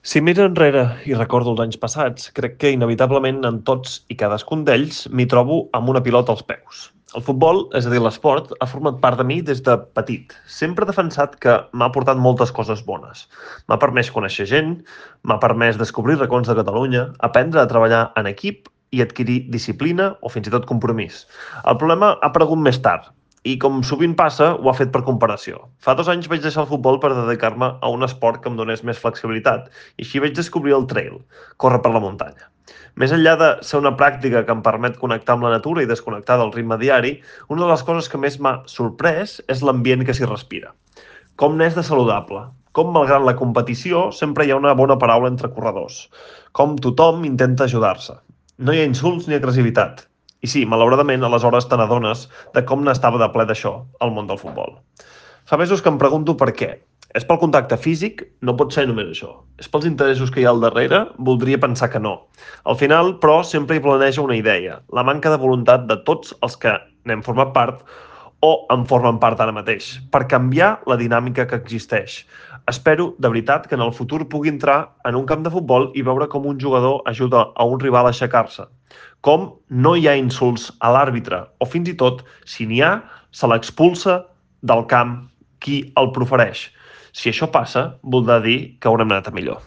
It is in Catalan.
Si miro enrere i recordo els anys passats, crec que inevitablement en tots i cadascun d'ells m'hi trobo amb una pilota als peus. El futbol, és a dir, l'esport, ha format part de mi des de petit. Sempre he defensat que m'ha portat moltes coses bones. M'ha permès conèixer gent, m'ha permès descobrir racons de Catalunya, aprendre a treballar en equip i adquirir disciplina o fins i tot compromís. El problema ha aparegut més tard, i com sovint passa, ho ha fet per comparació. Fa 2 anys vaig deixar el futbol per dedicar-me a un esport que em donés més flexibilitat, i així vaig descobrir el trail, córrer per la muntanya. Més enllà de ser una pràctica que em permet connectar amb la natura i desconnectar del ritme diari, una de les coses que més m'ha sorprès és l'ambient que s'hi respira. Com n'és de saludable. Com, malgrat la competició, sempre hi ha una bona paraula entre corredors. Com tothom intenta ajudar-se. No hi ha insults ni agressivitat. I sí, malauradament, aleshores te n'adones de com n'estava de ple d'això, el món del futbol. Fa mesos que em pregunto per què. És pel contacte físic? No pot ser només això. És pels interessos que hi ha al darrere? Voldria pensar que no. Al final, però, sempre hi planeja una idea, la manca de voluntat de tots els que n'hem format part o en formen part ara mateix, per canviar la dinàmica que existeix. Espero, de veritat, que en el futur pugui entrar en un camp de futbol i veure com un jugador ajuda a un rival a aixecar-se, com no hi ha insults a l'àrbitre, o fins i tot, si n'hi ha, se l'expulsa del camp qui el profereix. Si això passa, voldrà dir que haurem anat a millor.